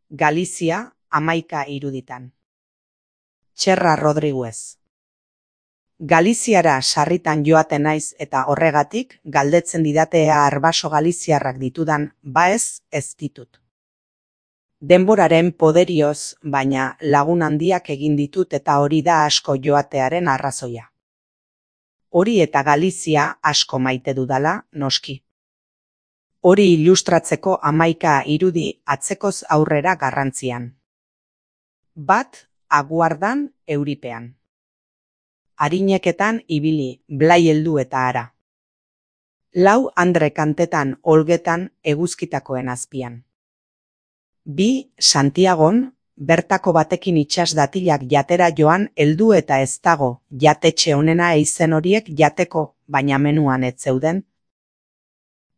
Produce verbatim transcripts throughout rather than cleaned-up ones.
Galizia, hamaika iruditan. Txerra Rodriguez. Galiziara sarritan joaten naiz eta horregatik galdetzen didate ea arbaso galiziarrak ditudan, ba ez, ez ditut. Denboraren poderioz, baina lagun handiak egin ditut eta hori da asko joatearen arrazoia. Hori eta Galizia asko maite dudala, noski. Hori ilustratzeko hamaika irudi atzekoz aurrera garrantzian. Bat, aguardan, euripean. Arineketan ibili, blai heldu eta ara. Lau andre kantetan olgetan eguzkitakoen azpian. Bi, Santiagon, bertako batekin itsas datilak jatera joan heldu eta ez dago, jatetxe honena eizen horiek jateko, baina menuan ez zeuden.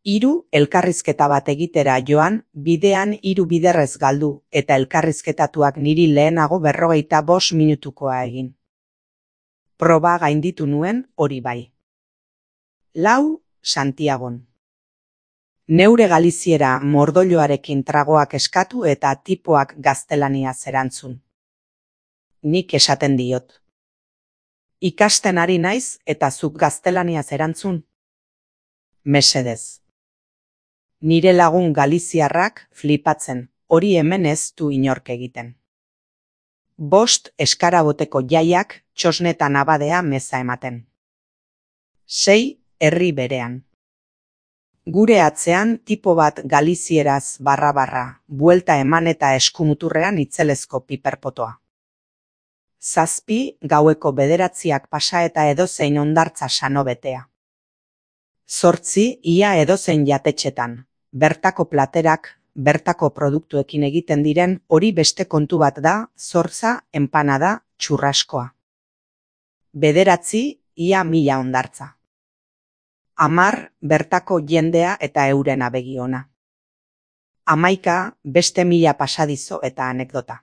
Hiru, elkarrizketa bat egitera joan, bidean hiru biderrez galdu, eta elkarrizketatuak niri lehenago berrogeita bost minutukoa egin. Proba gainditu nuen hori bai. Lau, Santiagon. Neure Galiziera mordolloarekin tragoak eskatu eta tipoak gaztelania erantzun. Nik esaten diot. Ikasten ari naiz eta zuk gaztelania erantzun. Mesedez. Nire lagun galiziarrak flipatzen, hori hemen ez du inork egiten. Bost eskaraboteko jaiak txosnetan abadea meza ematen. Sei, herri berean. Gure atzean tipo bat galizieraz barra-barra, buelta eman eta eskumuturrean itzelezko piperpotoa. Zazpi, gaueko bederatziak pasa eta edozein ondartza sano betea. Zortzi, ia edozein jatetxetan, bertako platerak, bertako produktuekin egiten diren hori beste kontu bat da, zortza, enpanada, txurraskoa. Bederatzi, ia mila ondartza. Amar, bertako jendea eta euren abegiona. Hamaika, beste mila pasadizo eta anekdota.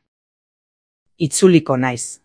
Itzuliko naiz.